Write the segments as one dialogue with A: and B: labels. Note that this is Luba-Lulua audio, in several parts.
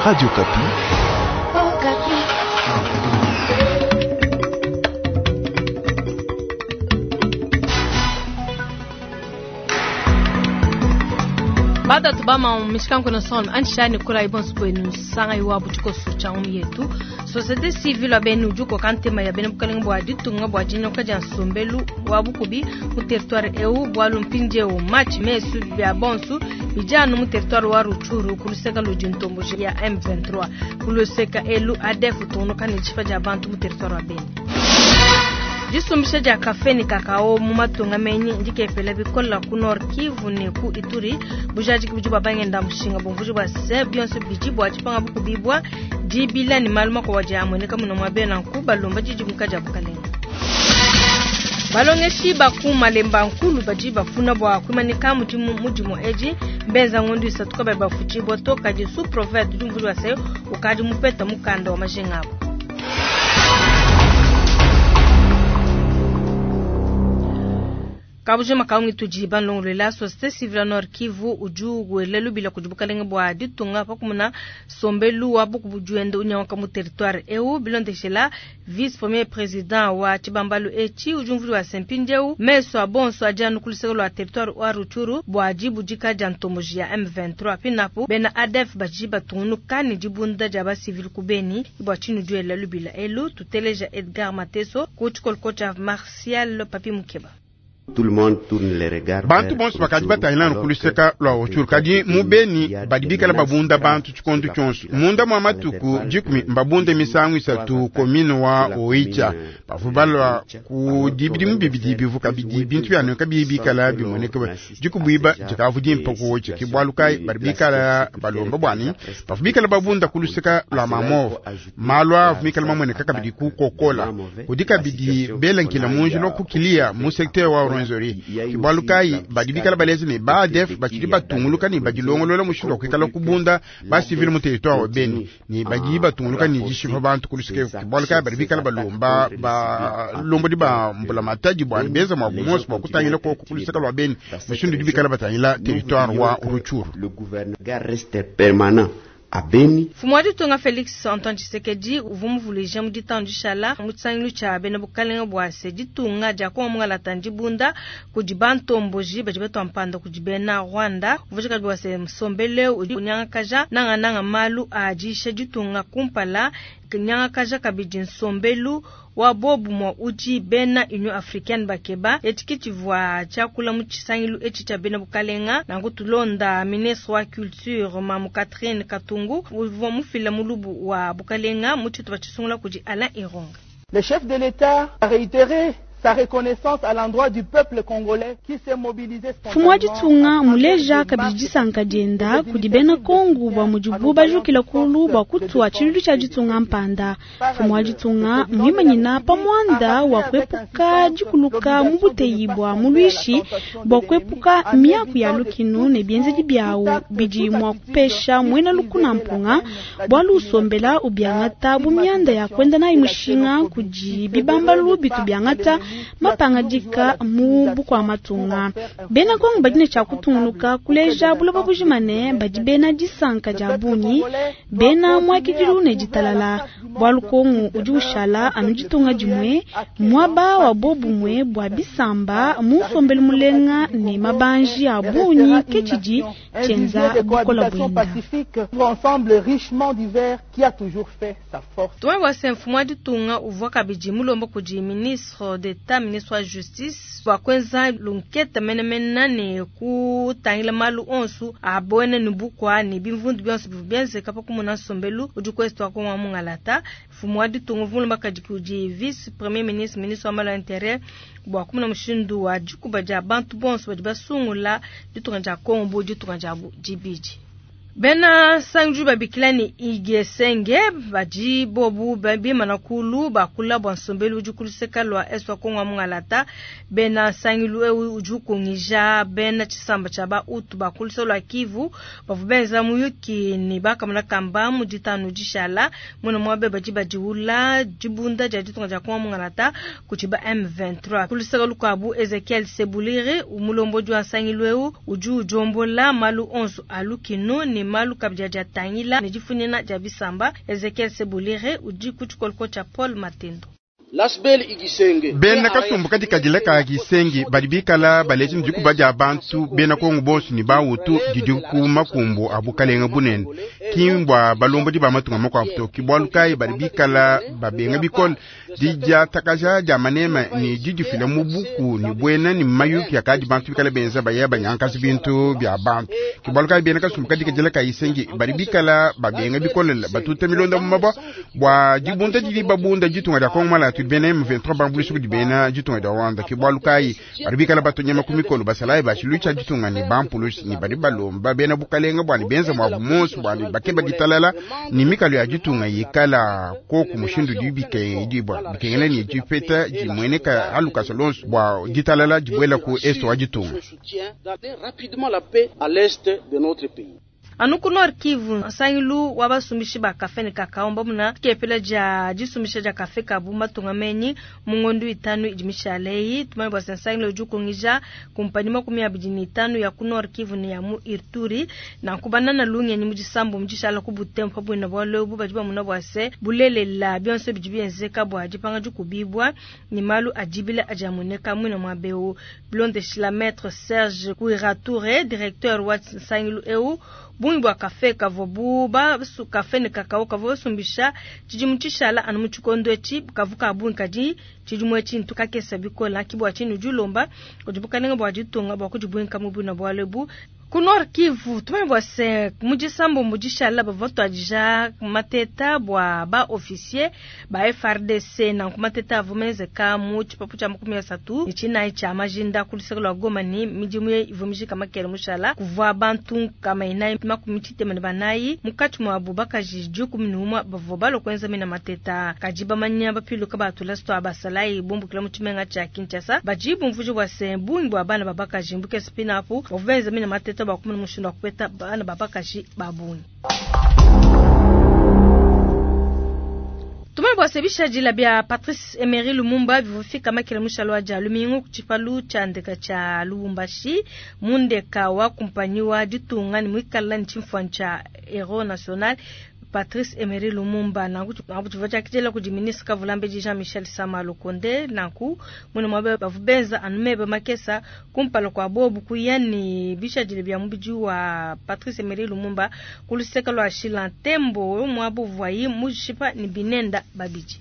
A: Radio Okapi.
B: Batatu bama mishikanku na son anshani kula ibonso kwenu sanga iwa butiko sucha um yetu société civile benu juko kantema ya bena bukalenga bwa ditunga bwa dinyoka dia nsombelu wa bukubi mu territoire eu bwalu mpindieu match mesu bia bonsu bijanu mu territoire wa Rutshuru kuluseka ludi ntomboji ya M23 kuluseka elu ADF tunuka ne tshifa dia bantu mu territoire wa Beni. Disumbisha dia kafe ne kakao mu matunga menyi ndikepela bikola ku Nord Kivu ne ku Ituri bujadiki budi bwabangenda mushinga bumvuji bwa se bionso bidi bwa tshipanga bukubibwa dibila ne malu makuabu adi amueneka muno mua bena nku balomba didimuka dia bukalenga. Balongeshi baku malemba nkulu badi bafuna bwa kuimanika mudimu mudimu edi mbenza ngondu isatu kabayi bafutshibua to kadi sous prophète udi mvuji wa se ukadi mupeta mukanda wa majinga abo. Kabujima kaungi tudi banlongolola société civile Nord Kivu udi wela lubila kudi bukalenga bwa ditunga pakumuna sombelu wa buku bujuende unyanguka mu territoire eu bilondeshela vice premier président wa tshibambalu etshi udi umvuli wa sempindeu meso a bonso adi anu kuluseka lua territoire wa Rutshuru bua dibudika dia ntomboji ya M23 pinapu bena ADF badi batungunuka ne dibunda dia basivile ku Beni bua tshinu duela lubila elu tuteleja Edgar Mateso ku tshikoloko tshia Martial Papi Mukeba.
C: Bantu bonso bakadi batangila ku luseka lua Rutshuru kadi mu Beni badi bikala babunda bantu tshikondo tshionso munda mua matuku dikumi mbabunde misangu isatu commune wa Oicha bavua balua ku dibidimu bibidi bivu kabidi bintu byanonka bibi bikala bimoneka dikubuiba dikavu dimpa ku Oicha ke bualu kayi badi bikala balomba bwani bavua bikala babunda ku luseka lua Mamove malu avu mikala mamoneka kabidi ku Kokola kudi kabidi belankila munji lwa kukilia mu secteur wa Rwenzori ke bualu kayi badi bikala balezi ne ba ADF batshidi batunguluka ne badilongolola mushindu wa kuikala kubunda basivile mu territoire wa Beni ne badi batunguluka ne dishipa bantu ku luseke ke bualu kayi badi bikala balomba balombodi ba mbulamatadi bua beza mua bumonso bua kutangila koko ku luseke lua Beni mushindu udi bikala batangila territoire wa Rutshuru.
D: Le gouverneur reste permanent à Beni.
B: Mfumu wa ditunga Felix Antoine Tshisekedi uvua muvuluija mu ditanu dishala mu tshisangilu tshia bena bukalenga bua se ditunga dia Kongo mungalata ndibunda kudi bantomboji badi batua mpanda kudi bena Rwanda. Uvua bua se nsombelu udi unyangakaja nangananga malu a diisha ditunga kumpala nyangakaja kabidi nsombelu wa bobumue udi bena Union Africaine bakeba etshi ke tshivua tshiakula mu tshisangilu etshi tshia bena bukalenga. Nanku tulonda ministre wa culture Mamu Catherine Katungu uvua mufila mulubu wa bukalenga mu tshitupa tshisungula kudi Alain Ironga.
E: Le chef de l'État a réitéré sa reconnaissance à l'endroit du peuple congolais qui s'est mobilisé
F: Mfumu wa ditunga muleja kabidi disanka dienda kudi bena Kongo bua mudibu bajukila kulu bua kutua tshiluilu tshia ditunga mpanda. Mfumu wa ditunga muimanyina pa muanda wa kuepuka dikuluka mu buteyi bua muluishi bua kuepuka miaku ya lukinu ne bienzedi biawu bidi mua kupesha muena lukuna mpunga bualu usombela ubiangata bu mianda ya kuenda nayi mushinga kudi bibambalu bitu biangata mapangadika mu bukua matunga. Bena Kongo badi ne tshia kutungunuka kuleja buloba bujima ne badi bena disanka dia bungi bena muakidilu ne ditalala bualu Kongo udi ushala anu ditunga dimue muaba wa bobumue bua bisamba mu nsombelu mulenga ne mabanji a bungi ke tshidi tshienza bukola buenda.
E: Ensemble richement divers qui a toujours fait sa force.
B: Tumwe bua se mfumu wa ditunga uvua kabidi mulomba kudi ministre d'État ministre wa justice bua kuenza lunketa menemene ne kutangila malu onso a buena ne bukua ne bimvundu bionso bivua bienzeka pa kumona nsombelu udi kuestu wa Kongo mungalata. Mfumu wa ditunga uvua mulomba kadi kudi vice premier ministre ministre wa malu a intérieur bua kumona mushindu wa dikuba dia bantu bonso badi basungula ditunga dia Kongo bu ditunga diabu dibidi. Bena sanju babikila ni igesenge badi bobu bimana kulu bakula bua nsombelu udi kuluseka lua est wa Kongo mungalata. Bena sangilu eu udi ukungija bena tshisamba tshia ba Hutu bakulusa lua Kivu bavua benza muyuki ne bakamona kamba mu ditanu dishala muna muabe badi badiula dibunda dia ditunga dia Kongo mungalata kudi ba M23. Kuluseka lukuabu Ezekiel Sebuliri umulombodi wa sangilu eu udi udiombola malu onso a lukinu ne ne malu kabidi adi atangila ne difunyina dia bisamba. Ezekiel Sebulire udi ku tshikoloko tshia Paul Matendo.
C: Bena kasumbu kadikadila ka Gisengi badi bikala baleja ne dikuba dia bantu bena Kongo bonso ne bawutu didi ku makumbu a bukalenga bunene, ki mbua balombodi ba matunga makuabu to. Ki bualu kayi badi bikala babenga bikole didiatakaja dia manema ne didifila mu buku ne buena ne mayuki akadi bantu bikala benza baya banyankaza bintu bia bantu. Ki bualu kayi bena kasumbu kadikadila ka Gisengi badi bikala babenga bikole batuta milonda mu mabua bua dibunda didi babunda ditunga dia Kongo malatu bena M23 bambuluisha kudi bena ditunga dia Rwanda. Ki bualu kayi badi bikala batonyama ku mikolo basalayi ba tshiluilu tshia ditunga ne bampulushi ne badi balomba bena bukalenga bua ne benza muabu monso bua ne bakeba ditalala ne mikalo ya ditunga yikala koku mushindu udi bikengedibua bikengela ne dipeta dimueneka alukasa lonso bua ditalala dibuela ku est wa ditunga.
B: Anu ku Nord Kivu, nsangilu wa basumbishi ba kafe ne kakao mbamuna kepela dia disumbisha dia kafe kabu matunga menyi mu ngondu itanu idi mishale eyi. Tumanye bua se nsangilu udi ukungija kumpanyi 25 ya ku Nord Kivu ne ya mu Ituri nanku banana lungenyi mu disambu mu dishala ku Butembo pa buina bualu ebu badi bamuna bua se bulelela bionso bidi bienzeka bua dipanga dikubibua ne malu adibila adi amueneka muina muaba eu. Bilondeshila Maître Serge Kuiratoure, directeur wa nsangilu eu, bungi bua kafe kavua bu basu kafe ne kakao kavua basumbisha tshidimu tshishala anu mu tshikondo etshi kavu ka bungi, kadi tshidimu etshi ntu kakesa bikola. Ki bua tshinyi udi ulomba kudi bukalenga bua ditunga bua kudibuinka mu buina bualu ebu. Ku Nord Kivu, tumanye bua se mu disambombo dishala bavua batuadija mateta bua ba officier ba FARDC nanku mateta avua menzeka mu tshipapu tshia 34 tshia majinda ku luseke lua Goma ne midimu ivua mijika makele mushala. Kuvua bantu 464 munkatshi muabu bakaji 11 bavua balua kuenza mina mateta, kadi bamanya bapiluka batula tua basalayi bumbukila mu tshimenga tshia Kinshasa badi bumvuija bua se bungi bua bana ba bakaji mbukese pinapu bavua benza mina mateta bua kumona mushindu wa kupeta bana ba bakaji ba bungi. Tumanye bua se bishadila bia Patrice Emery Lumumba bivua makele mushalo wa dia lumingu ku tshipalu tshia ndeka tshia Lubumbashi mu ndeka wa kumpanyi wa ditunga ne muikala ne tshimfuanyi tshia Hero National Patrice Emery Lumumba. Nanku tshivua tshiakidila kudi ministre Kavulambedi Jean-Michel Sama Lukonde. Nanku mwene muaba bavua benza anu meba makesa kumpala kua bobu kuya ne bishadile bia mubidi wa Patrice Emery Lumumba ku luseke lua Shilantembo muaba uvuayi mushipa ne binenda babidi.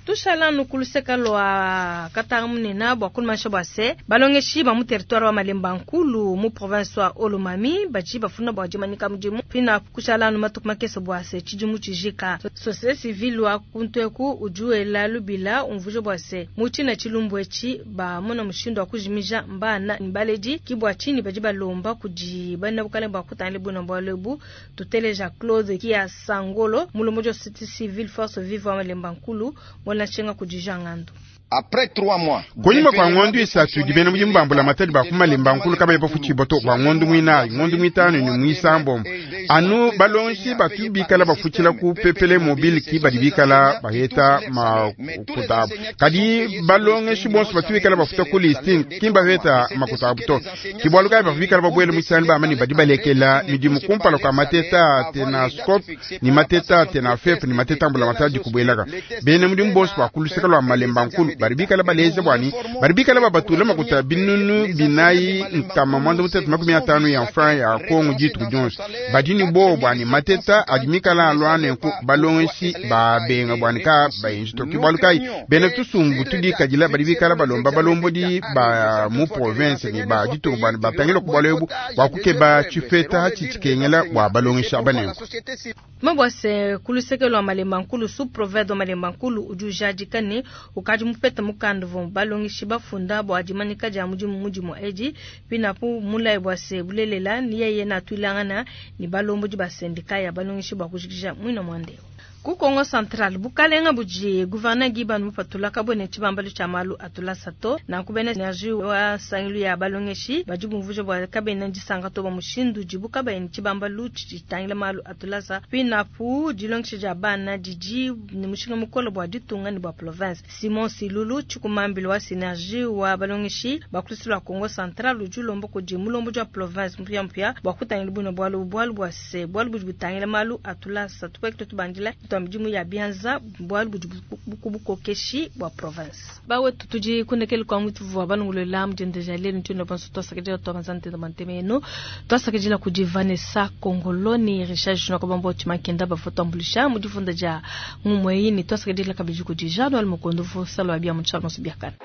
B: Tushala ku luseke lua Katanga munene bua kunumanisha bua se balongeshi ba mu territoire wa Malemba Nkulu mu province wa Olomami badi bafuna bua dimanyika mudimu pina kushala matuku makese bua se tshidimu tshijika. Société civile wa kuntweku udi wela lubila umvuija bua se mu tshina tshilumbu etshi bamona mushindu wa kujimija mbana ne baledi ki bua tshinyi badi balomba kudi bana bukalenga bua kutangila buina bualu ebu. Tuteleja Claude Kia Sangolo mulombodi wa société civile force vive wa Malemba Nkulu mwana kudi Jean Ngando.
A: Après 3 mois,
C: kunyima kwa ngondo isatu dibena mudimu bambula matadi ba kumalemba nkulu kabayi bafutshiba to bua ngondo muinayi ngondo muitanu ne muisambombo anu balongeshi batu bikala bafutshila ku pepele mobile ki badi bikala baheta makuta abu, kadi balongeshi bonso batu bikala bafuta ku listing ki baheta makuta abu to. Ki bualu kayi bavua bikala babuele mu tshisangilu bamba ne badi balekela midimu kumpala kua mateta tenascope ne mateta tenafep ne mateta ambula matadi kubuelaka. Bena mudimu bonso ba ku luseke lua Malemba Nkulu badi bikala baleja bwani badi bikala babatula makuta binunu 450 ya franc ya Kongo dituku dionso. Badi ne bobo bwani mateta adi mikala alua nenku balongeshi babenga bwani ka bayenji to. Ki bualu kayi bena tusumbu tudikadila badi bikala balomba balombodi ba mu province ne ba ditunga bwani batangila ku bualu ebu bua kukeba tshipeta tshitshikengela bua balongeshi aba nenku.
B: Mabwase ku luseke lua Malemba Nkulu sous province wa Malemba Nkulu udi ujadika ne ukadi mupeta mukanda uvua balongeshi bafunda bua dimanyika dia mudimu mudimu edi pinapu mulayi bua se bulelela ni yeye natuilangana ne balombodi ba sendika ya balongeshi bua kujikija muina muandeo. Ku Kongo Central, bukalenga budi gouverneur Guy Bandu mupatula kabuena ne tshibambalu tshia malu a tulasa to. Nanku bena Synergie wa nsangilu ya balongeshi badi bumvuija bua kabena disanka to bua mushindu udibu kabayi ne tshibambalu tshidi tshitangila malu a tulasa. Pinapu, dilongesha dia bana didi ne mushinga mukole bua ditunga ne bua province. Simon Silulu, tshikumambila wa Synergie wa balongeshi ba ku luseke lua Kongo Central udi ulomba kudi mulombodi wa province mupiamupia bua kutangila buine bualu bualu bua se bualu budi butangila malu a tulasa tupuekele tubandila tua midimu ya bianza bualu budi ku bukokeshi bua province. Bawetu tudi kundekelu kua mutuvua balongolola mu diendeja lelu ntuena bonso tuasakidila tuabanza ntenda bua ntema yenu tuasakidila kudi Vanessa Kongolo ne Richard Junior Kabambo Tshimankenda bavua tuambuluisha mu difunda dia ngumu eyi ne tuasakidila kabidi kudi Jean Noel Mukondo uvua salua bia mu tshialo biakana.